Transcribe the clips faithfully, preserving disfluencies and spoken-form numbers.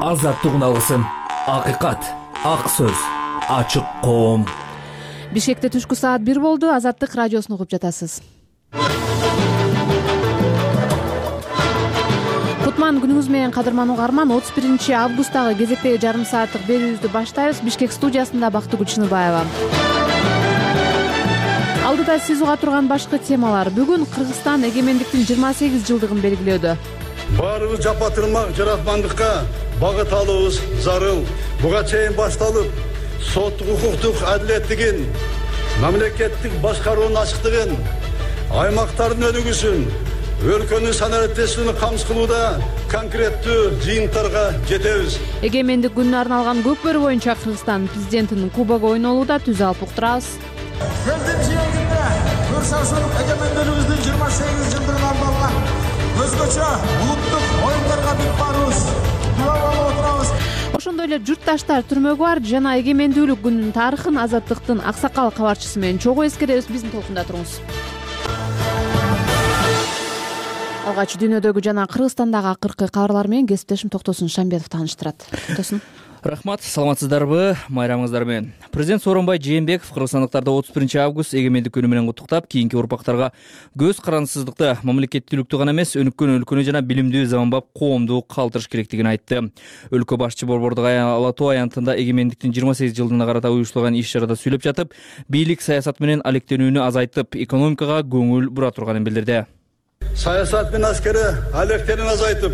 азаттык алгысын, акыйкат, ак сөз, ачык коом. Бишкекте түшкү саат бир болду. Азаттык радиосун угуп жатасыз. Кутман күнүңүз менен кадырман угарман. отуз биринчи августтагы кезектеги жарым сааттык берүүбүздү баштайбыз. Бишкек студиясында Бактыгүл Чыныбаева. Алдыда сиз уга турган башкы темалар. Бүгүн Кыргызстан эгемендиктин жыйырма сегиз жылдыгын белгилөөдө. Баарыбыз жапатырмак жаратмандыкка багыт алуубуз зарыл. Буга чейин башталып, соттук укуктук адилеттигин, мамлекеттик башкаруунун ачыктыгын, аймактардын өнүгүүсүн, өлкөнүн санариптестигин камсыз кылууда конкреттүү жыйынтарга жетебиз. Эгемендик күнүнө арналган көкбөрү боюнча Кыргызстан президентинин кубогу ойнолууда. Түз алып уктурабыз. Элдин жээгинде көрсөзүн эгемендүүлүгүбүздүн жыйырма сегиз жылдыгына арналган өзгөчө улуттук оюндарга бип барыбыз. Кула болуп отурабыз. Ошондой эле журтташтар түрмөгү бар жана эгемендүүлүк күнүнүн тарыхын Азаттыктын аксакал кабарчысы менен чогуу эскеребиз. Биздин толкунда туруңуз. Алгач дүйнөдөгү жана Кыргызстандагы акыркы кабарлар менен кесиптешим Токтосун Шамбетов тааныштырат. Токтосун. Рахмат, саламатсыздарбы? Майрамыңыздар менен. Президент Сооронбай Жээнбеков кыргызстандыктарды отуз биринчи август эгемендик күнү менен куттуктап, кийинки урпактарга көз карандысыздыкты, мамлекеттүүлүктү гана эмес, өнүккөн өлкөнү жана билимдүү заманбап коомду калтырыш керектигин айтты. Өлкө башчы Борбордук Ала тоо аянтында эгемендиктин жыйырма сегиз жылдыгына карата уюштурулган иш-чарада сүйлөп жатып, бийлик саясат менен алектенүүнү азайтып, экономикага көңүл бура турганын билдирди. Саясат менен аскери алектенүүнү азайтып,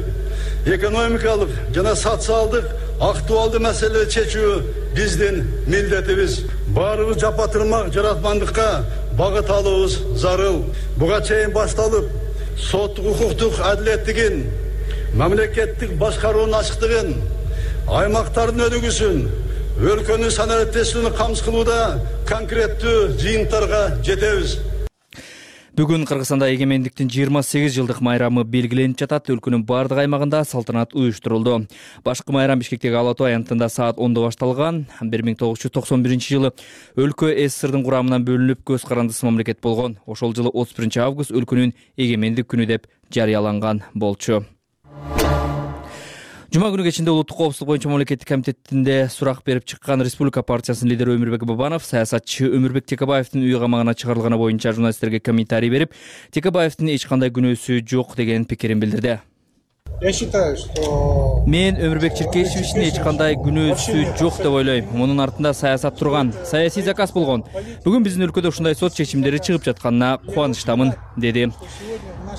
экономикалык жана социалдык актуалдуу маселелерди чечүү биздин милдетибиз. Баарыбыз жапатырмак жаратмандыкка багыт алуубуз зарыл. Буга чейин башталып, соттук укуктук адилеттигин, мамлекеттик башкаруунун ачыктыгын, аймактардын өнүгүүсүн, өлкөнүн санариптестигин камсыз кылууда конкреттүү жыйынтарга жетебиз. Бүгүн Кыргызстанда эгемендиктин жыйырма сегиз жылдык майрамы белгиленип жатат. Өлкөнүн бардык аймагында салтанат уюштурулду. Башкы майрам Бишкектеги Ала тоо аянтында саат ондо башталган. бир миң тогуз жүз токсон биринчи жылы өлкө СССРдын курамынан бөлүнүп көз карандысыз мамлекет болгон. Ошол жылы отуз биринчи август өлкөнүн эгемендик күнү деп жарыяланган болчу. Жума күнү кечинде улуттук коопсуздук боюнча мамлекеттик комитетинде сурак берип чыккан Республика партиясынын лидери Өмүрбек Бабанов саясатчы Өмүрбек Текебаевдин үй камагына чыгарылганы боюнча журналисттерге комментарий берип, Текебаевдин эч кандай күнөөсү жок деген пикирин билдирди. Я считаю, что Мен Өмүрбек Черкешевичтин эч кандай күнөөсү жок деп ойлойм. Мунун артында саясат турган, саясий заказ болгон. Бүгүн биздин өлкөдө ушундай сот чечимдери чыгып жатканына кубанычтамын, деди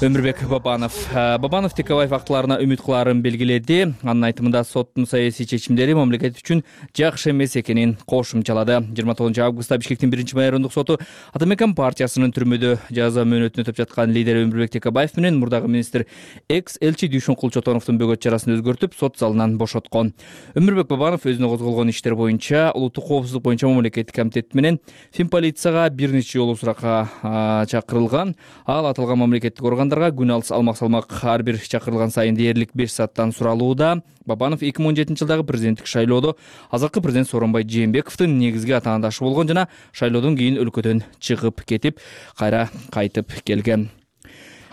Өмүрбек Бабанов. Бабанов Текебаев актыларына үмүт кылаарын белгиледи. Анын айтымында соттун саясий чечимдери мамлекет үчүн жакшы эмес экенин кошумчалады. жыйырма тогузунчу августта Бишкектин биринчи майрамдык соту Атамекен партиясынын түрмөдө жаза мөөнөтүн өтөп жаткан лидери Өмүрбек Текебаев менен мурдагы министр экс-элчи Дүйшүнкул Чотоновдун бөгөт чарасын өзгөртүп, сот залынан бошоткон. Өмүрбек Бабанов өзүнө козголгон иштер боюнча улуттук коопсуздук боюнча мамлекеттик комитет менен Финполицияга бир нече жолу суракка чакырылган. Ал аталган мамлекеттик органдарга күн алыс алмак салмак ар бир чакырылган сайын дээрлик беш сааттан суралууда. Бабанов эки миң он жетинчи жылдагы президенттик шайлоодо азыркы президент Сооронбай Жээнбековдун негизги атаандашы болгон жана шайлоодон кийин өлкөдөн чыгып кетип, кайра кайтып келген.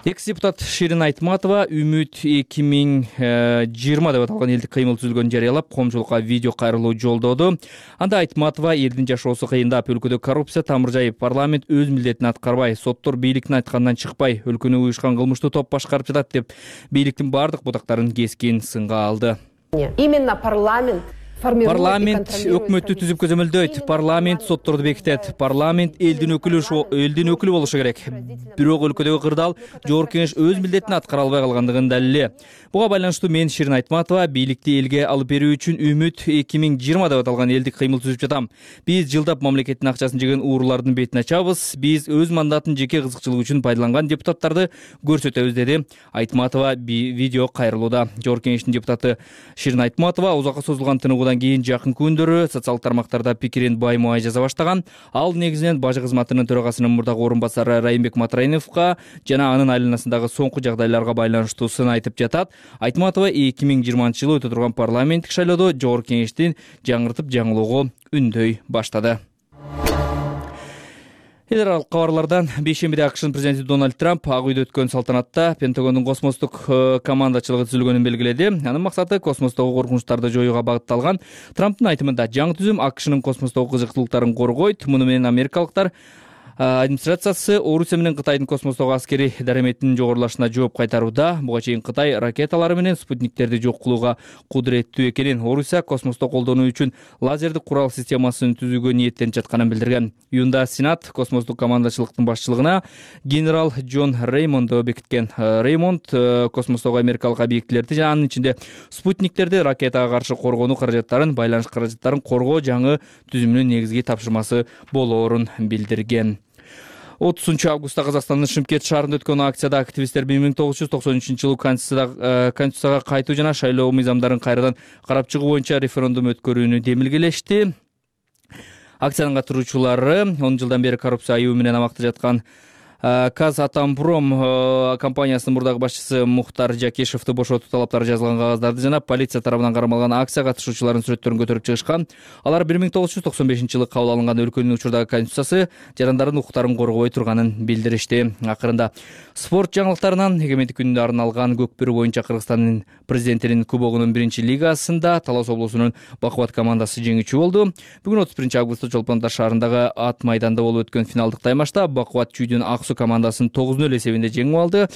Экс-депутат Ширин Айтматова Үмүт эки миң жыйырма деп аталган элдик кыймыл түзүлгөнүн жарыялап, коомчулукка видео кайрылуу жолдоду. Анда Айтматова элдин жашоосу кыйындап, өлкөдө коррупция тамыр жайып, парламент өз милдетин аткарбай, соттор бийликтин айтканынан чыкпай, өлкөнү уюшкан кылмыштуу топ башкарып жатат деп бийликтин бардык бутактарын кескин сынга алды. Именно парламент Парламент өкмөттү түзүп көзөмөлдөйт, парламент сотторду бекитет, парламент элдин өкүлү элдин өкүлү болушу керек. Бирок өлкөдөгү кырдаал жогорку кеңеш өз милдетин аткара албай калгандыгын далили. Буга байланыштуу мен Ширин Айтматова бийликти элге алып берүү үчүн Үмүт эки миң жыйырма деп аталган элдик кыймыл түзүп жатам. Биз жылдап мамлекеттин акчасын жеген уурулардын бетин ачабыз. Биз өз мандатын жеке кызыкчылык үчүн пайдаланган депутаттарды көрсөтөбүз, деди Айтматова видео кайрылууда. Жогорку кеңештин депутаты Ширин Айтматова узакка созулган тыныгуудан кийин жакын күндөрү социалдык тармактарда пикирин баймуай жаза баштаган. Ал негизинен бажы кызматынын төрагасынын мурдагы орун басары Райымбек Матраиновго жана анын айланасындагы соңку жагдайларга байланыштуу сын айтып жатат. Айтматова эки миң жыйырманчы жылы өтө турган парламенттик шайлоодо жогорку кеңештин жаңыртып жаңылоого үндөй баштады. эл аралык кабарлардан бейшембиде АКШнын президенти Дональд Трамп Ак үйдө өткөн салтанатта Пентагондун космостук командачылыгы түзүлгөнүн белгиледи. Анын максаты космостогу коркунучтарды жоюуга багытталган. Трамптын айтымында жаңы түзүм АКШнын космостогу кызыктуулуктарын коргойт. Муну менен америкалыктар администрациясы Орусия менен Кытайдын космостогу аскерий дараметинин жогорулашына жооп кайтарууда. Буга чейин Кытай ракеталары менен спутниктерди жок кылууга кудуреттүү экенин, Орусия космосто колдонуу үчүн лазердик курал системасын түзүүгө ниеттенип жатканын билдирген. Июнда Сенат космостук командачылыктын башчылыгына генерал Джон Реймондду бекиткен. Реймонд космостогу америкалык объектилерди жана анын ичинде спутниктерди ракетага каршы коргонуу каражаттарын, байланыш каражаттарын коргоо жаңы түзүмүнүн негизги тапшырмасы болоорун билдирген. отузунчу августта Казакстандын Шымкент шаарында өткөн акцияда активисттер бир миң тогуз жүз токсон үчүнчү жылы Конституцияга кайтуу жана шайлоо мыйзамдарын кайрадан карап чыгуу боюнча референдум өткөрүүнү демилгелешти. Акциянын катышуучулары он жылдан бери коррупция айыбы менен абакта жаткан Казатомпром компаниясынын мурдагы башчысы Мухтар Жакешевди бошотуу талаптары жазылган кагаздарды жана полиция тарабынан кармалган акция катышуучуларынын сүрөттөрүн көтөрүп чыгышкан. Алар бир миң тогуз жүз токсон бешинчи жылы кабыл алынган өлкөнүн учурдагы конституциясы жарандардын укуктарын коргобой турганын билдиришти. Акырында спорт жаңылыктарынан эгемендик күнүнө арналган көкбөрү боюнча Кыргызстандын президентинин кубогунун биринчи лигасында Талас облусунун Бакубат командасы жеңүүчү болду. Бүгүн отуз биринчи августта Чолпон Ата шаарындагы ат майданда болуп өткөн финалдык таймашта Бакубат Чүйдүн Аксу командасын тогуз нөл эсебинде жеңип алды.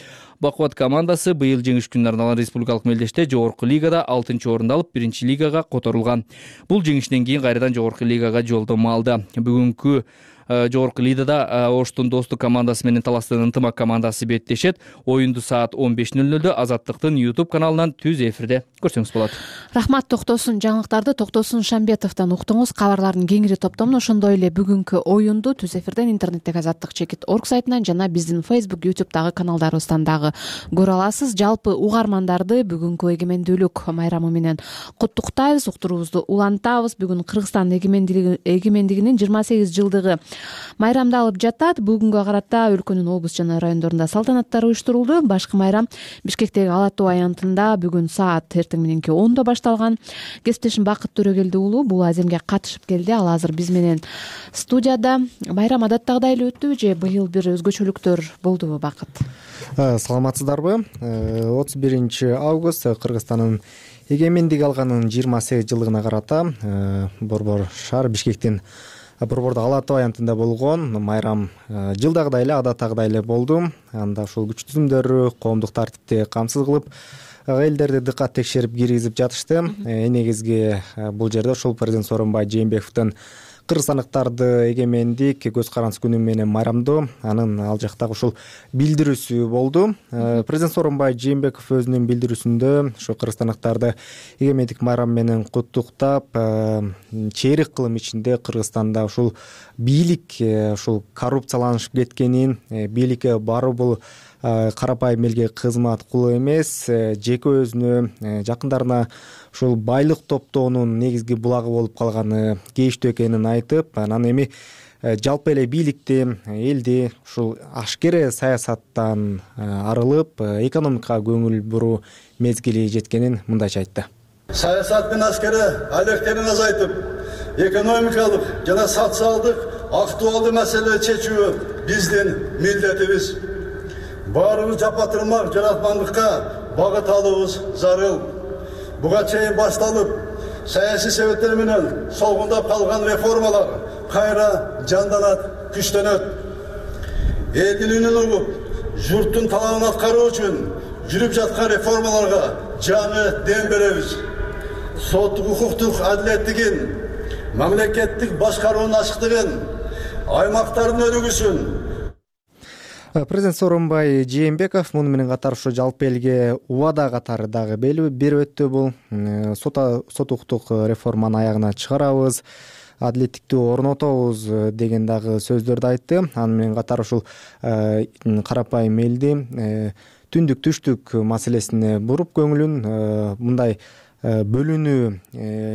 Бакубат командасы быйыл жеңиш күнүнө арналган республикалык мелдеште жогорку лигада алтынчы орунду алып, биринчи лигага которулган. Бул жеңиштен кийин кайрадан жогорку лигага жолдомо алды. Бүгүнкү жогорку лигада Оштун Достук командасы менен Таластын Ынтымак командасы беттешет. Оюнду саат он беш нөл нөлдө Азаттыктын YouTube каналынан түз эфирде көрсөңүз болот. Рахмат Токтосун. Жаңылыктарды Токтосун Шамбетовдон уктуңуз. Кабарлардын кеңири топтомун ошондой эле бүгүнкү оюнду түз эфирден интернеттеги азаттык чекит орг сайтынан жана биздин Facebook, YouTube'дагы каналдарыбыздан дагы көрө аласыз. Жалпы угармандарды бүгүнкү эгемендүүлүк майрамы менен куттуктайбыз, уктуруубузду улантабыз. Бүгүн Кыргызстан эгемендигинин жыйырма сегиз жылдыгы майрамдалып жатат. Бүгүнгө карата өлкөнүн облус жана райондорунда салтанаттар уюштурулду. Башкы майрам Бишкектеги Ала Тоо аянтында бүгүн саат эртең мененки ондо башталган. Кесиптешим Бакыт Төрөгелди уулу бул аземге катышып келди. Ал азыр биз менен студияда. Майрам адаттагыдай эле өттүбү же быйыл бир өзгөчөлүктөр болдубу, Бакыт? Саламатсыздарбы? отуз биринчи август Кыргызстандын эгемендик алганынын жыйырма сегиз жылдыгына карата Борбор шаар Бишкектин Борбордо Ала Тоо аянтында болгон майрам жылдагыдай эле, адаттагыдай эле болду. Анда ушул күч түзүмдөрү коомдук тартипти камсыз кылып, элдерди дыккат текшерип киргизип жатышты. Негизги бул жерде ушул президент Сооронбай Жээнбековдун кыргызстандыктарды эгемендик көз каранды күнү менен майрамдоо анын ал жактагы ушул билдирүүсү болду. Президент Сооронбай Жээнбеков өзүнүн билдирүүсүндө ушу кыргызстандыктарды эгемендик майрам менен куттуктап, чейрек кылым ичинде Кыргызстанда ушул бийлик ушул коррупцияланышып кеткенин, бийликке баруу бул карапайым элге кызмат кылуу эмес, жеке өзүнө, жакындарына ушул байлык топтоонун негизги булагы болуп калганы кейиштүү экенин айтып, анан эми жалпы эле бийликти, элди ушул ашкере саясаттан арылып, экономикага көңүл буруу мезгили жеткенин мындайча айтты. Саясат менен аскери алектенин азайтып, экономикалык жана социалдык актуалдуу маселелерди чечүү биздин милдетибиз. Баарыбыз жапа-тырмак жаратмандыкка багыт алуубуз зарыл. Буга чейин башталып, саясий себептер менен солгундап калган реформалар кайра жанданат, күчтөнөт. Элдин үнүн угуп, журттун талабын аткаруу үчүн жүрүп жаткан реформаларга жаңы дем беребиз. Соттук укуктук адилеттигин, мамлекеттик башкаруунун ачыктыгын, аймактардын өнүгүүсүн. Президент Сооронбай Жээнбеков муну менен катар ушу жалпы элге убада катары дагы берип өттү. Бул сот укуктук реформаны аягына чыгарабыз, адилеттикти орнотобуз деген дагы сөздөрдү айтты. Аны менен катар ушул карапайым элди түндүк түштүк маселесине буруп көңүлүн, мындай бөлүнүү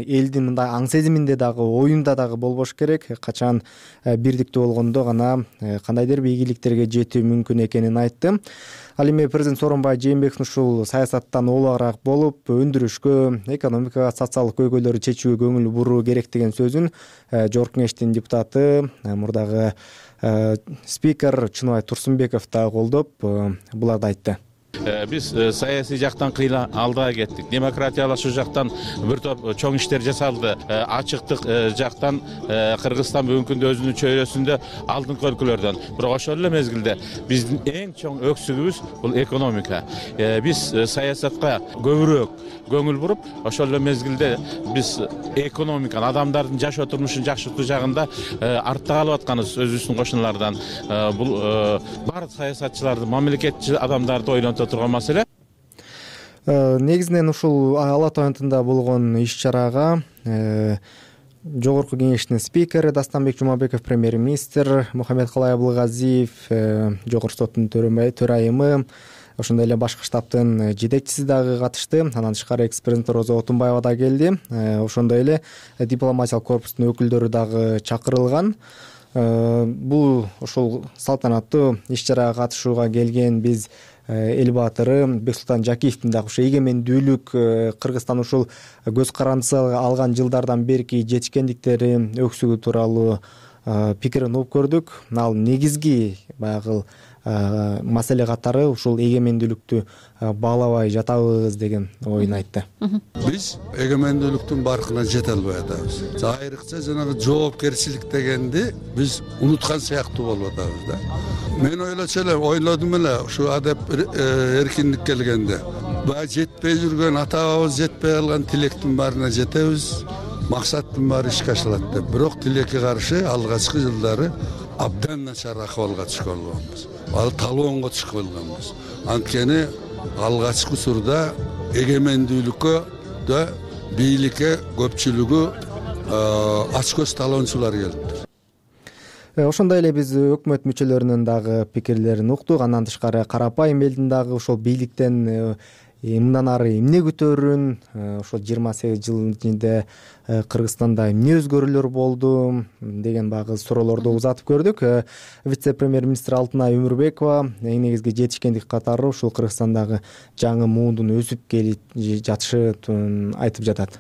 элдин мындай аң сезиминде дагы, оюнда дагы болбош керек. Качан бирдиктүү болгондо гана кандайдыр бир ийгиликтерге жетүү мүмкүн экенин айтты. Ал эми президент Сооронбай Жээнбеков ушул саясаттан олоораак болуп, өндүрүшкө, экономикага, социалдык көйгөйлөрдү чечүүгө көңүл буруу керек деген сөзүн жогорку кеңештин депутаты, мурдагы Спикер Чыныбай Турсунбеков да колдоп буларды айтты. Биз саясий жактан кыйла алдыга кеттик. Демократиялашуу жактан бир топ чоң иштер жасалды. Ачыктык жактан Кыргызстан бүгүнкү күндө өзүнүн чөйрөсүндө алдыңкы өлкөлөрдөн. Бирок ошол эле мезгилде биздин эң чоң өксүгүбүз бул экономика. Биз саясатка көбүрөөк көңүл буруп, ошол эле мезгилде биз экономиканы, адамдардын жашоо турмушун жакшыртуу жагында артта калып атканыбыз өзүбүздүн кошуналардан. Бул баардык саясатчыларды, мамлекетчи адамдарды ойлонто турган маселе. Негизинен ушул Ала Тоо аянтында болгон иш-чарага Жогорку Кеңештин спикери Дастанбек Жумабеков, премьер-министр Мухаммедкалай Абылгазиев, Жогорку соттун төрайымы, ошондой эле башкы штабтын жетекчиси дагы катышты. Андан тышкары экс-президент Роза Отунбаева да келди. Ошондой эле дипломатиялык корпустун өкүлдөрү дагы чакырылган. Бул ошол салтанаттуу иш-чарага катышууга келген биз эл баатыры Бексултан Жакиевдин дагы ошо эгемендүүлүк Кыргызстан ушул көз карандысы алган жылдардан берки жетишкендиктери, өксүгү тууралуу пикирин угуп көрдүк. Ал негизги баягы маселе катары ушул эгемендүүлүктү баалабай жатабыз деген оюн айтты. Биз эгемендүүлүктүн баркына жете албай атабыз. Айрыкча жанагы жоопкерчилик дегенди биз унуткан сыяктуу болуп атабыз да. Мен ойлочу эле, ойлодум эле ушу адеп эркиндик келгенде. Баягы жетпей жүргөн, ата-бабабыз жетпей калган тилектин баарына жетебиз. Максаттын баары ишке ашылат деп. Бирок тилекке каршы алгачкы жылдары абдан начар акыбалга түшкөн болгонбуз. Ал талоонго түшүп калганбыз. Анткени алгачкы учурда эгемендүүлүккө да бийликке көпчүлүгү ач көз талоончулар келиптир. Ошондой эле биз өкмөт мүчөлөрүнүн дагы пикирлерин уктук. Андан тышкары карапайым элдин дагы ошол бийликтен мындан ары эмне күтөрүн, ошол жыйырма сегиз жыл ичинде Кыргызстанда эмне өзгөрүүлөр болду деген багы суроолорду узатып көрдүк. Вице-премьер-министр Алтынай Өмүрбекова эң негизги жетишкендик катары ушул Кыргызстандагы жаңы муундун өсүп келип жатышын айтып жатат.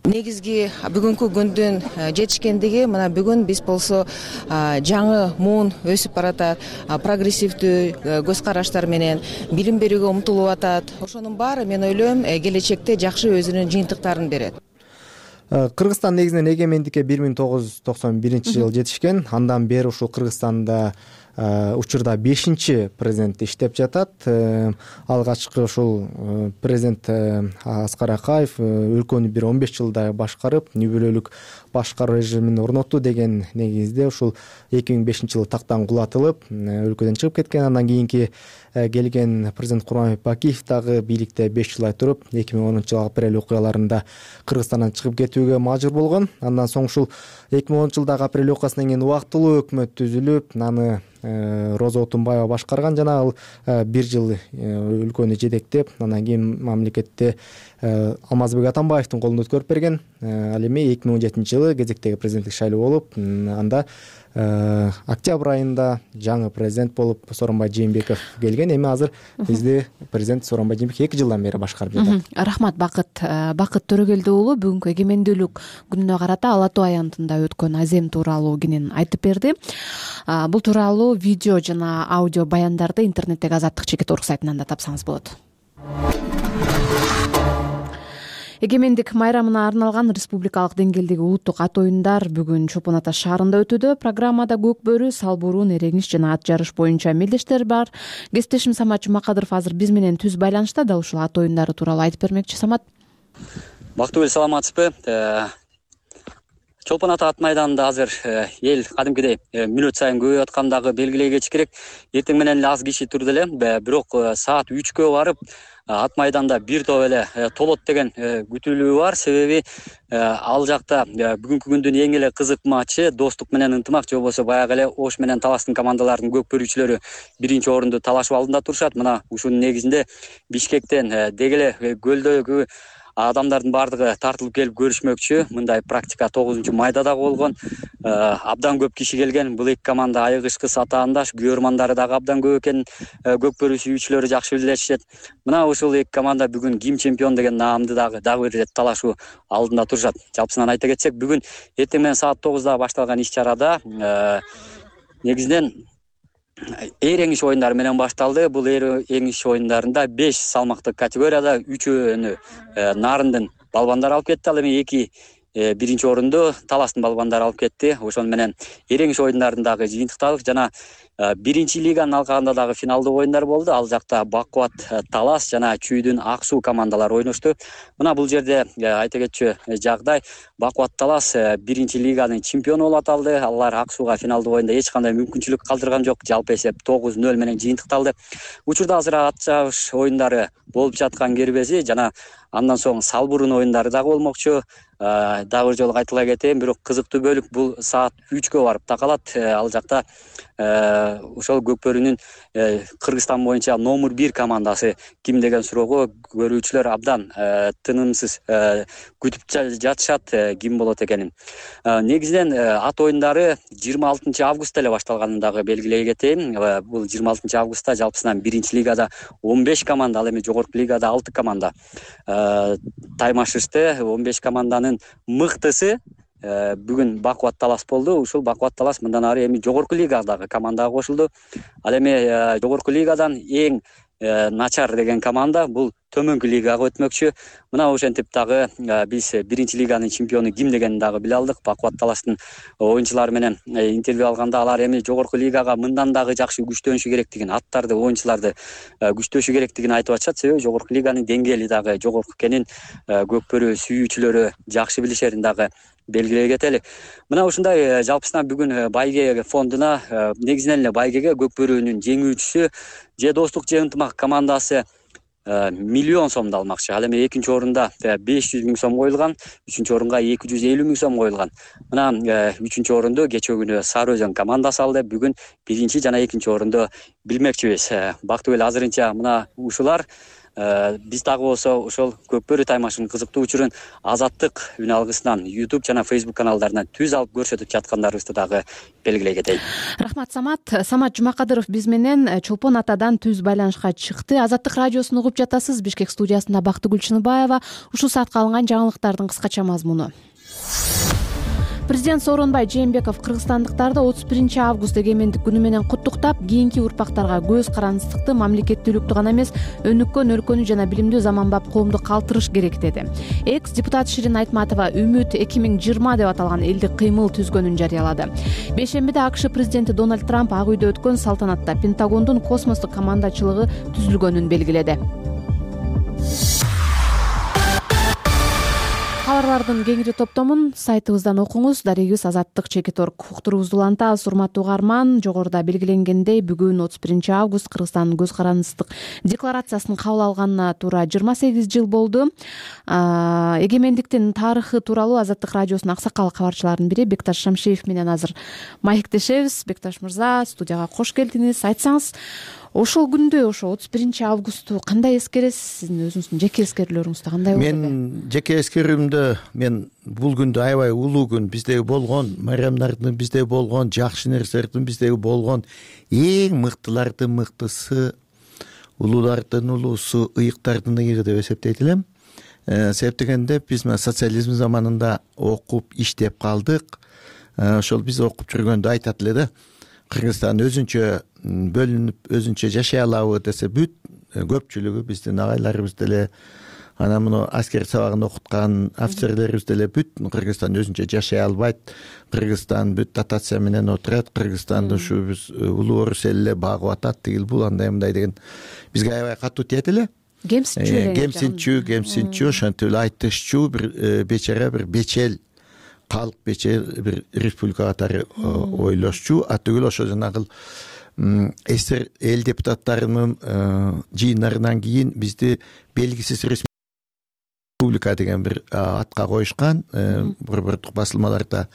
Негизги бүгүнкү күндүн жетишкендиги мына бүгүн биз болсо жаңы муун өсүп баратат, прогрессивдүү көз караштар менен билим берүүгө умтулуп атат. Ошонун баары мен ойлойм келечекте жакшы өзүнүн жыйынтыктарын берет. Кыргызстан негизинен эгемендикке бир миң тогуз жүз токсон биринчи жылы жетишкен. Андан бери ушул Кыргызстанда учурда бешинчи президент иштеп жатат. Алгачкы ушул президент Аскар Акаев өлкөнү бир он беш жылдай башкарып, нүбөлөлүк башкаруу режимин орнотту деген негизде ушул эки миң бешинчи жылы тактан кулатылып, өлкөдөн чыгып кеткен. Андан кийинки келген президент Курманбек Бакиев дагы бийликте беш жылдай туруп, эки миң онунчу жылы апрель окуяларында Кыргызстандан чыгып кетүүгө мажбур болгон. Андан соң ушул эки миң онунчу жылдагы апрель окуясынан кийин убактылуу өкмөт түзүлүп, аны Роза Отунбаева башкарган. Жана ал бир жыл өлкөнү жетектеп, андан кийин мамлекетте Алмазбек Атамбаевдин колунда өткөрүп берген. Ал эми эки миң он жетинчи жылы кезектеги президенттик шайлоо болуп, анда октябрь айында жаңы президент болуп Сооронбай Жээнбеков келген. Эми азыр бизде президент Сооронбай Жээнбеков эки жылдан бери башкарып жатат. Рахмат Бакыт. Бакыт Төрөгелди уулу бүгүнкү эгемендүүлүк күнүнө карата Ала Тоо аянтында өткөн азем тууралуу кенен айтып берди. Бул тууралуу видео жана аудио баяндарды интернеттеги Азаттык чекит точка орг сайтынан да тапсаңыз болот. Эгемендик майрамына арналган республикалык деңгээлдеги улуттук ат оюндар бүгүн Чолпон Ата шаарында өтүүдө. Программада көк бөрү, сал бурун, эрегиш жана ат жарыш боюнча мелдештер бар. Кесиптешим Самат Жумакадыров азыр биз менен түз байланышта, дал ушул ат оюндары тууралуу айтып бермекчи. Самат. Бактыбек, саламатсызбы? Чолпон Ата ат майданында азыр эл кадимкидей мүнөт сайын көбөйүп аткандагы белгилей кетиш керек. Эртең менен эле аз киши турду эле, бирок саат үчкө барып ат майданда бир топ эле толот деген күтүлүү бар. Себеби ал жакта бүгүнкү күндүн эң эле кызык матчы Достук менен Ынтымак, же болбосо баягы эле Ош менен Таластын командаларынын көк бөрүүчүлөрү биринчи орунду талашып алдында турушат. Мына ушунун негизинде Бишкектен деги эле көлдөгү адамдардын баардыгы тартылып келип көрүшмөкчү. Мындай практика тогузунчу майда дагы болгон. Абдан көп киши келген. Бул эки команда айыгышкы сатаандаш, күйөрмандары дагы абдан көп экен. Көк бөрү сүйүүчүлөрү жакшы билишет. Мына ушул эки команда бүгүн ким чемпион деген наамды дагы дагы бир ирет талашуу алдында турушат. Жалпысынан айта кетсек, бүгүн эртең менен саат тогузда башталган иш-чарада негизинен эр эңиш оюндары менен башталды. Бул эр эңиш оюндарында беш салмактык категорияда үчөөнү Нарындын балбандары алып кетти. Ал эми эки биринчи орунду Таластын балбандары алып кетти. Ошону менен эр эңиш оюндарындагы жыйынтыкталык жана биринчи лиганын алкагында дагы финалдык оюндар болду. Ал жакта Бакубат Талас жана Чүйдүн Ак суу командалары ойношту. Мына бул жерде айта кетчү жагдай, Бакубат Талас биринчи лиганын чемпиону болуп аталды. Алар Ак сууга финалдык оюнда эч кандай мүмкүнчүлүк калтырган жок. Жалпы эсеп тогуз нөл менен жыйынтыкталды. Учурда азыр ат чабыш оюндары болуп жаткан кербези жана андан соң салбурун оюндары дагы болмокчу. Дагы бир жолу кайталай кетейин, бирок кызыктуу бөлүк бул саат үчкө барып такалат. Ал жакта ошол Көкбөрүнүн Кыргызстан боюнча номер бир командасы ким деген суроого көрүүчүлөр абдан тынымсыз күтүп жатышат ким болот экенин. Негизинен ат оюндары жыйырма алтынчы августта эле башталганын дагы белгилей кетейин. Бул жыйырма алтынчы августта жалпысынан биринчи лигада он беш команда, ал эми жогорку лигада алты команда таймашышты. он беш команданын мыктысы бүгүн Бакубат Талас болду. Ушул Бакубат Талас мындан ары эми жогорку лигадагы командага кошулду. Ал эми жогорку лигадан эң начар деген команда бул төмөнкү лигага өтмөкчү. Мына ошентип дагы биз биринчи лиганын чемпиону ким дегенин дагы биле алдык. Бакубат Таластын оюнчулары менен интервью алганда алар эми жогорку лигага мындан дагы жакшы күчтөнүшү керектигин, аттарды, оюнчуларды күчтөшү керектигин айтып атышат. Себеби жогорку лиганын деңгээли дагы жогорку экенин Көкбөрү сүйүүчүлөрү жакшы билишерин дагы белгилей кетели. Мына ушундай жалпысынан бүгүн Байге фондуна, негизинен эле Байгеге Көкбөрүнүн жеңүүчүсү же Достук же Ынтымак командасы миллион сомду алмакчы. Ал эми экинчи орунда беш жүз миң сом коюлган, үчүнчү орунга эки жүз элүү миң сом коюлган. Мына үчүнчү орунду кече күнү Сары Өзөн командасы алды. Бүгүн биринчи жана экинчи орунду билмекчибиз. Бактыгүл, азырынча мына ушулар. Биз дагы болсо ошол Көкбөрү таймашынын кызыктуу учурун Азаттык үн алгысынан YouTube жана Facebook каналдарынан түз алып көрсөтүп жаткандарыбызды дагы белгилей кетейин. Рахмат, Самат. Самат Жумакадыров биз менен Чолпон Атадан түз байланышка чыкты. Азаттык радиосун угуп жатасыз. Бишкек студиясында Бактыгүл Чыныбаева. Ушул саатка алынган жаңылыктардын кыскача мазмуну. Президент Сооронбай Жээнбеков кыргызстандыктарды отуз биринчи август эгемендик күнү менен куттуктап, кийинки урпактарга көз карандыстыкты, мамлекеттүүлүктү гана эмес, өнүккөн өлкөнү жана билимдүү заманбап коомду калтырыш керек деди. Экс депутат Ширин Айтматова Үмүт эки миң жыйырма деп аталган элдик кыймыл түзгөнүн жарыялады. Бейшембиде АКШ президенти Дональд Трамп Ак үйдө өткөн салтанатта Пентагондун космостук командачылыгы түзүлгөнүн белгиледи. Кабарлардын кеңири топтомун сайтыбыздан окуңуз. Дарегибиз азаттык чекит точка орг. Уктуруубузду улантабыз. Урматтуу угарман, жогоруда белгиленгендей, бүгүн отуз биринчи август Кыргызстандын көз карандыстык декларациясын кабыл алганына туура жыйырма сегиз жыл болду. Эгемендиктин тарыхы тууралуу Азаттык радиосунун аксакал кабарчыларынын бири Бекташ Шамшиев менен азыр маектешебиз. Бекташ мырза, студияга кош келдиңиз. Айтсаңыз, ошол күндү, ошо отуз биринчи августу кандай эскересиз? Сиздин өзүңүздүн жеке эскерүүлөрүңүздө кандай болду? Мен жеке эскерүүмдө мен бул күндү аябай улуу күн, биздеги болгон майрамдардын, биздеги болгон жакшы нерселердин, биздеги болгон эң мыктылардын мыктысы, улуулардын улуусу, ыйыктардын ыйыгы деп эсептейт элем. Себеп дегенде биз социализм заманында окуп иштеп калдык. Ошол биз окуп жүргөндө айтат эле да, Кыргызстан өзүнчө бөлүнүп, өзүнчө жашай алабы десе, бүт көпчүлүгү биздин агайларыбыз деле, анан муну аскер сабагын окуткан офицерлерибиз деле бүт Кыргызстан өзүнчө жашай албайт. Кыргызстан бүт дотация менен отурат. Кыргызстанды ушу биз улуу орус эле багып атат, тигил бул андай мындай деген бизге аябай катуу тиет эле. Кемсинчүү, кемсинчүү, кемсинчүү, ошентип эле айтышчуу бир бечара, бир бечел калк, бечел бир республика катары ойлошчу. Атүгүл ошо жанагы эсер эл депутаттарынын жыйындарынан кийин бизди белгисиз республика деген бир атка коюшкан. Борбордук басылмаларда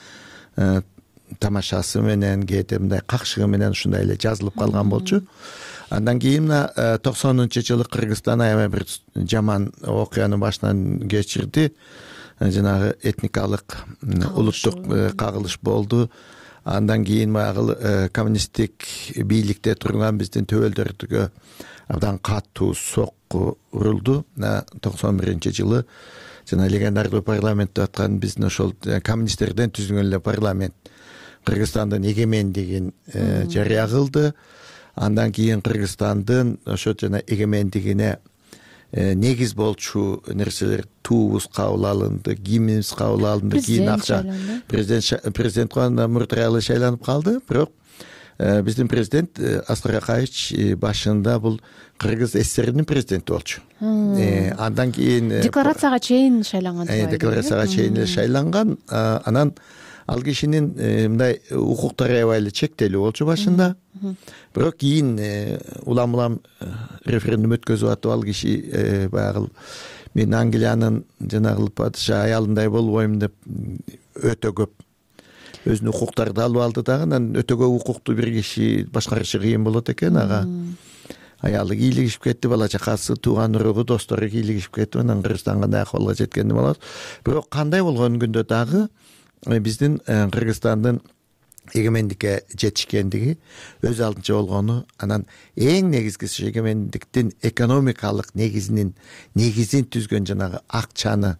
тамашасы менен, кээде мындай какшыгы менен ушундай эле жазылып калган болчу. Андан кийин токсонунчу жылы Кыргызстан аябай бир жаман окуяны башынан кечирди. Жанагы этникалык, улуттук кагылыш болду. Андан кийин баягы коммунисттик бийликте турган биздин төбөлдөргө абдан катуу сокку урулду. токсон биринчи жылы жана легендардуу парламент деп аткан биздин ошол коммунисттерден түзүлгөн эле парламент Кыргызстандын эгемендигин жарыя кылды. Андан кийин Кыргызстандын ошо жана эгемендигине негиз болчу нерселер туубуз кабыл алынды, гимнибиз кабыл алынды, кийин акча президент президент Кубанычбек Муртараалы шайланып калды. Бирок биздин президент Аскар Акаевич башында бул Кыргыз СССРдин президенти болчу. Андан кийин декларацияга чейин шайланган. Декларацияга чейин шайланган. Анан ал кишинин мындай укуктары аябай эле чектелүү болчу башында. Бирок кийин улам улам референдум өткөзүп атып ал киши баягы мен Англиянын жанагы падыша аялындай болбойм деп өтө көп өзүнүн укуктарды алып алды дагы. Анан өтө көп укукту бир киши башкарышы кыйын болот экен. Ага аялы кийлигишип кетти, бала чакасы, тууган уругу, достору кийлигишип кетти. Анан Кыргызстан кандай акыбалга жеткенин болот. Бирок кандай болгон күндө дагы биздин Кыргызстандын эгемендикке жетишкендиги өз алдынча болгону, анан эң негизгиси эгемендиктин экономикалык негизинин негизин түзгөн жанагы акчаны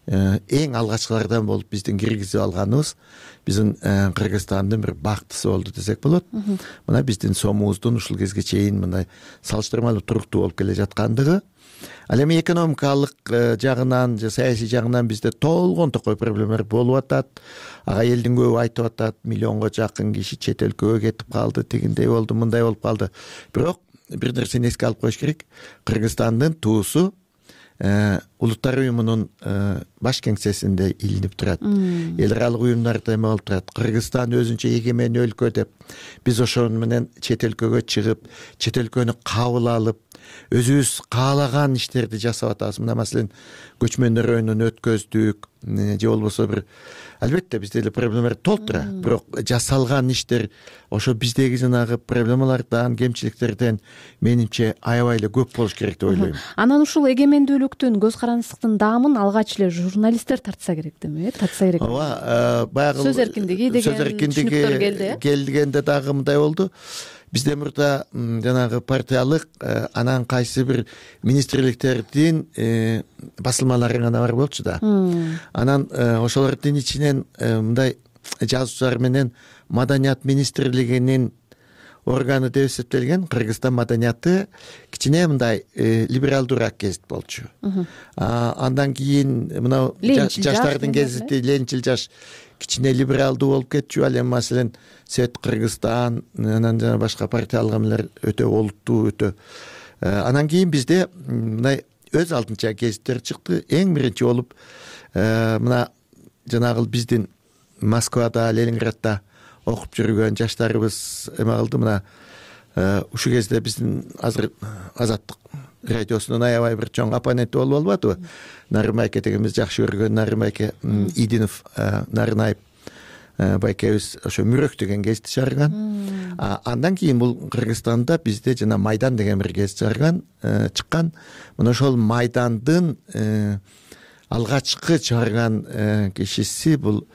эң алгачкылардан болуп биздин киргизип алганыбыз биздин Кыргызстандын бир бактысы болду десек болот. Мына биздин сомубуздун ушул кезге чейин мындай салыштырмалуу туруктуу болуп келе жаткандыгы. Ал эми экономикалык жагынан же саясий жагынан бизде толгон токой проблемалар болуп атат. Ага элдин көбү айтып атат, миллионго жакын киши чет өлкөгө кетип калды, тигиндей болду, мындай болуп калды. Бирок бир нерсени эске алып коюш керек. Кыргызстандын туусу Улуттар уюмунун баш кеңсесинде илинип турат. Эл аралык уюмдарда эме болуп турат. Кыргызстан өзүнчө эгемен өлкө деп биз ошону менен чет өлкөгө чыгып, чет өлкөнү кабыл алып, өзүбүз каалаган иштерди жасап атабыз. Мына маселен көчмөндөр оюнун өткөздүк же болбосо бир албетте бизде эле проблемалар толтура. Бирок жасалган иштер ошо биздеги жанагы проблемалардан, кемчиликтерден менимче аябай эле көп болуш керек деп ойлойм. Анан ушул эгемендүүлүктүн, көз карандысыздыктын даамын алгач эле журналисттер тартса керек деме, тартса керек. Ооба, баягы сөз эркиндиги деген түшүнүктөр келди. Келгенде дагы мындай болду. Бизде мурда жанагы партиялык анан кайсы бир министрликтердин басылмалары гана бар болчу да. Анан ошолордун ичинен мындай жазуучулар менен Маданият министрлигинин органы деп эсептелген Кыргызстан маданияты кичине мындай либералдуураак гезит болчу. Андан кийин мына жаштардын гезити Ленчил жаш кичине либералдуу болуп кетчү. Ал эми маселен Свет Кыргызстан, анан жана башка партиялык эмелер өтө олуттуу, өтө. Анан кийин бизде мындай өз алдынча гезиттер чыкты. Эң биринчи болуп мына жанагы биздин Москвада, Ленинградда окуп жүргөн жаштарыбыз эме кылды. Мына ушул кезде биздин азыр Азаттык радиосунун аябай бир чоң оппоненти болуп албадыбы? Нарын байке деген биз жакшы көргөн Нарын байке Идинов Нарынаев байкебиз ошо Мүрөк деген гезитти чыгарган. Андан кийин бул Кыргызстанда бизде жана Майдан деген бир гезит чыгарган, чыккан. Мына ошол Майдандын алгачкы чыгарган кишиси бул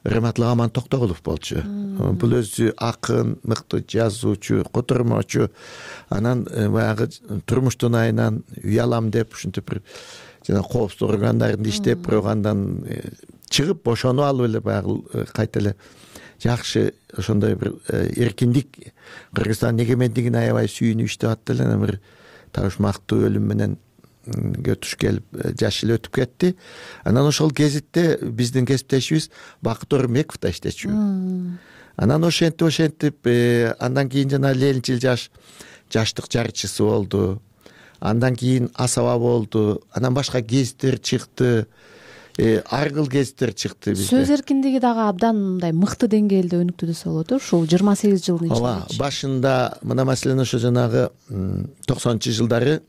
Раматлык Аман Токтогулов болчу. Бул өзү акын, мыкты жазуучу, котормочу. Анан баягы турмуштун айынан уялам деп ушинтип бир жана коопсуздук органдарында иштеп, бирок андан чыгып бошонуп алып эле баягы кайта эле жакшы ошондой бир эркиндик Кыргызстандын эгемендигине аябай сүйүнүп иштеп атты эле. Анан бир табышмактуу өлүм менен көтүш келип жаш эл өтүп кетти. Анан ошол гезитте биздин кесиптешибиз Бакыт Орунбеков да иштечү. Анан ошентип ошентип андан кийин жана Ленчил жаш жаштык жарчысы болду. Андан кийин Асаба болду. Анан башка гезиттер чыкты. Аргыл гезиттер чыкты бизде. Сөз эркиндиги дагы абдан мындай мыкты деңгээлде өнүктү десе болот. Ушул жыйырма сегиз жылдын ичинде. Ооба, башында мына маселен ошо жанагы токсонунчу жылдары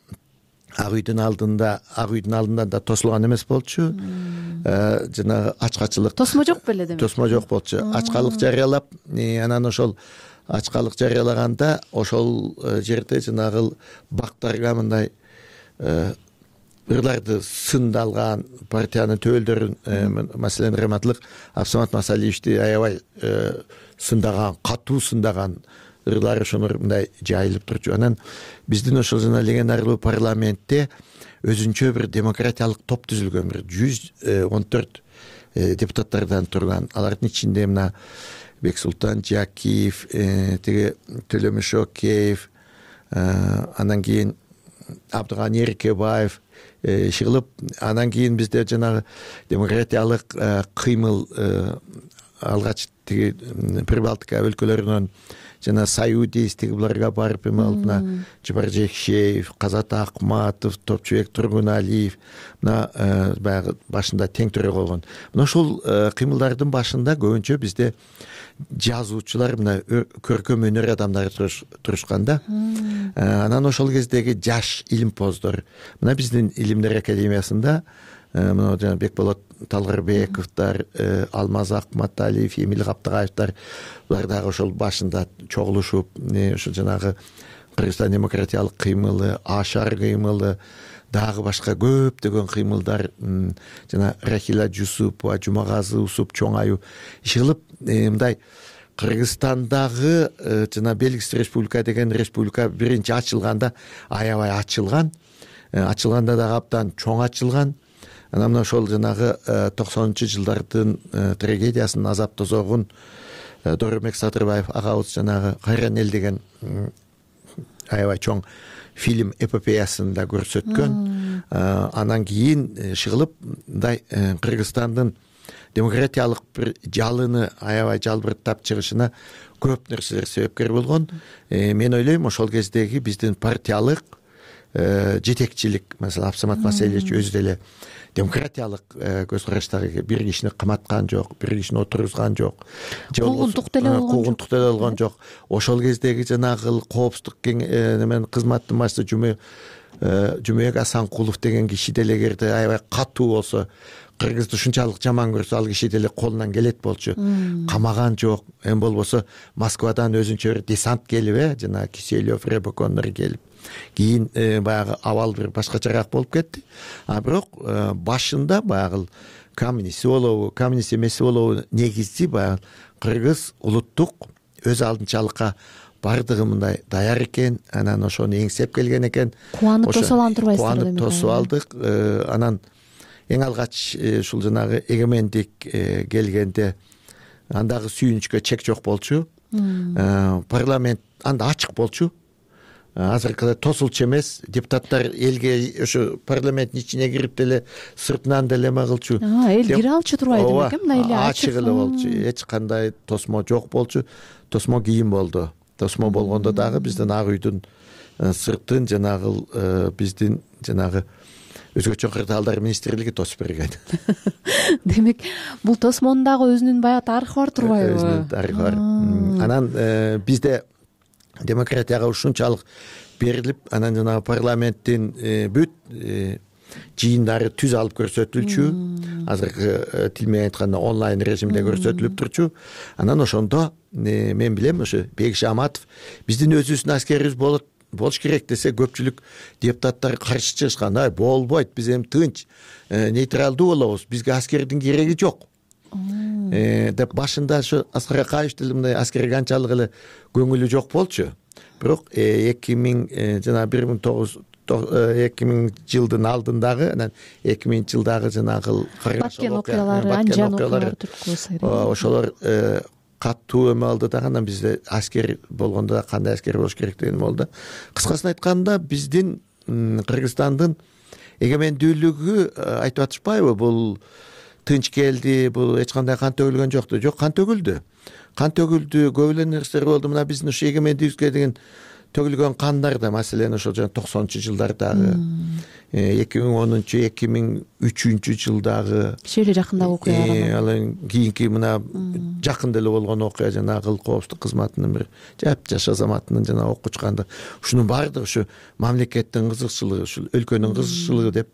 Ак үйдүн алдында, Ак үйдүн алдында да тосулган эмес болчу. Жанагы ачкачылык. Тосмо жок беле демек. Тосмо жок болчу. Ачкалык жарыялап, анан ошол ачкалык жарыялаганда ошол жерде жанагы бактарга мындай ырларды сындалган партиянын төбөлдөрүн, маселен Раматлык Абсамат Масалиевичти аябай сындаган, катуу сындаган ырлар ошонор мындай жайылып турчу. Анан биздин ошол жана легенарлуу парламентте өзүнчө бир демократиялык топ түзүлгөн, бир жүз он төрт депутаттардан турган. Алардын ичинде мына Бексултан Жакиев, тиги Төлөмүш Океев, анан кийин Абдыганы Эркебаев чыгылып, анан кийин бизде жанагы демократиялык кыймыл алгач тиги Прибалтика өлкөлөрүнөн жана Союдис тиги буларга барып эме алдына Жапар Жекшеев, Казат Акматов, Топчубек Тургуналиев мына баягы башында тең төрө болгон. Мына ушул кыймылдардын башында көбүнчө бизде жазуучулар мына көркөм өнөр адамдары турушкан да. Анан ошол кездеги жаш илимпоздор мына биздин Илимдер академиясында мына жана Бекболот Талгырбековдор, Алмаз Акматалиев, Эмил Каптыгаевдер булар дагы ошол башында чогулушуп, ошо жанагы Кыргызстан демократиялык кыймылы, Ашар кыймылы, дагы башка көптөгөн кыймылдар жана Рахила Жусупова, Жумагазы Усуп чоң аю чыгылып, мындай Кыргызстандагы жана белгисиз республика деген республика биринчи ачылганда аябай ачылган, ачылганда дагы абдан чоң ачылган. Анан мына ошол жанагы токсонунчу жылдардын трагедиясын, азап тозогун Доромбек Садырбаев агабыз жанагы Кайран эл деген аябай чоң фильм эпопеясында көрсөткөн. Анан кийин чыгылып, мындай Кыргызстандын демократиялык бир жалыны аябай жалбырттап чыгышына көп нерселер себепкер болгон. Мен ойлойм, ошол кездеги биздин партиялык жетекчилик, маселен Абсамат Маселевич өзү деле демократиялык көз караштагы бир кишини каматкан жок, бир кишини отургузган жок, куугунтук деле болгон жок. Куугунтук деле болгон жок. Ошол кездеги жанагы коопсуздук немен кызматтын башчысы Жумө Жумөк Асанкулов деген киши деле эгерде аябай катуу болсо, Кыргызды ушунчалык жаман көрсө, ал киши деле колунан келет болчу. Камаган жок. Эми болбосо Москвадан өзүнчө бир десант келип, э, жана Киселев, Рябокондор келип, кийин баягы абал бир башкачараак болуп кетти. А бирок башында баягы коммунист болобу, коммунист эмес болобу негизи баягы кыргыз улуттук өз алдынчалыкка бардыгы мындай даяр экен, анан ошону эңсеп келген экен. Кубанып тосуп алган турбайсыздар Кубанып тосуп алдык. Анан эң алгач ушул жанагы эгемендик келгенде андагы сүйүнүчкө чек жок болчу. Парламент анда ачык болчу. Азыркыдай тосулчу эмес, депутаттар элге ошо парламенттин ичине кирип деле сыртынан деле эме кылчу. Эл кире алчу турбайт экен, мындай эле ачык эле болчу. Эч кандай тосмо жок болчу. Тосмо кийин болду. Тосмо болгондо дагы биздин Ак үйдүн сыртын жанагы биздин жанагы өзгөчө кырдаалдар министрлиги тосуп берген. Демек, бул тосмонун дагы өзүнүн баягы тарыхы бар турбайбы? Өзүнүн тарыхы бар. Анан бизде демократияга ушунчалык берилип, анан жанагы парламенттин бүт жыйындары түз алып көрсөтүлчү. Азыркы тил менен айтканда онлайн режимде көрсөтүлүп турчу. Анан ошондо мен билем, ошо Бекиш Аматов биздин өзүбүздүн аскерибиз болот болуш керек десе, көпчүлүк депутаттар каршы чыгышкан. Ай, болбойт, биз эми тынч, нейтралдуу болобуз, бизге аскердин кереги жок деп башында ошо Аскар Акаев деле мындай аскерге анчалык эле көңүлү жок болчу. Бирок эки миң жана бир миң тогуз эки миң жылдын алдындагы, анан эки миңинчи жылдагы жанагы Баткен окуялары, Анжан окуялары ошолор катуу эме алды дагы. Анан бизде аскер болгондо кандай аскер болуш керек деген болду. Кыскасын айтканда, биздин Кыргызстандын эгемендүүлүгү айтып атышпайбы, бул тынч келди, бул эч кандай кан төгүлгөн жокту. Жок, кан төгүлдү. Кан төгүлдү, көп эле нерселер болду. Мына биздин ушу эгемендүүлүккө деген төгүлгөн кандар да, маселен ошол жана токсонунчу жылдардагы, эки миң онунчу эки миң үчүнчү жылдагы кичи эле жакындагы окуялар. Ал кийинки мына жакын деле болгон окуя, жанагы коопсуздук кызматынын бир жап-жаш азаматынын жана окко чыкканда, ушунун баардыгы ушу мамлекеттин кызыкчылыгы, ушул өлкөнүн кызыкчылыгы деп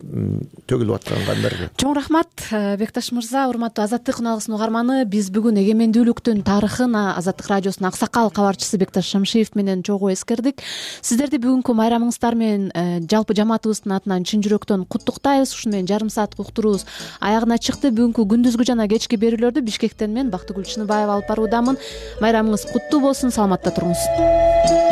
төгүлүп аткан кандар. Чоң рахмат, Бекташ мырза. Урматтуу Азаттык үналыгынын угарманы, биз бүгүн эгемендүүлүктүн тарыхын Азаттык радиосунун аксакал кабарчысы Бекташ Шамшиев менен чогуу эскердик. Сиздерди бүгүнкү майрамыңыздар менен жалпы жамаатыбыздын атынан чын жүрөктөн куттуктайбыз. Ушу менен жарым сааттык уктурубуз аягына чыкты. Бүгүнкү күндүзгү жана кечки берүүлөрдү Бишкектен мен Бактыгүл Чыныбаева алып баруудамын. Майрамыңыз куттуу болсун, саламатта туруңуз.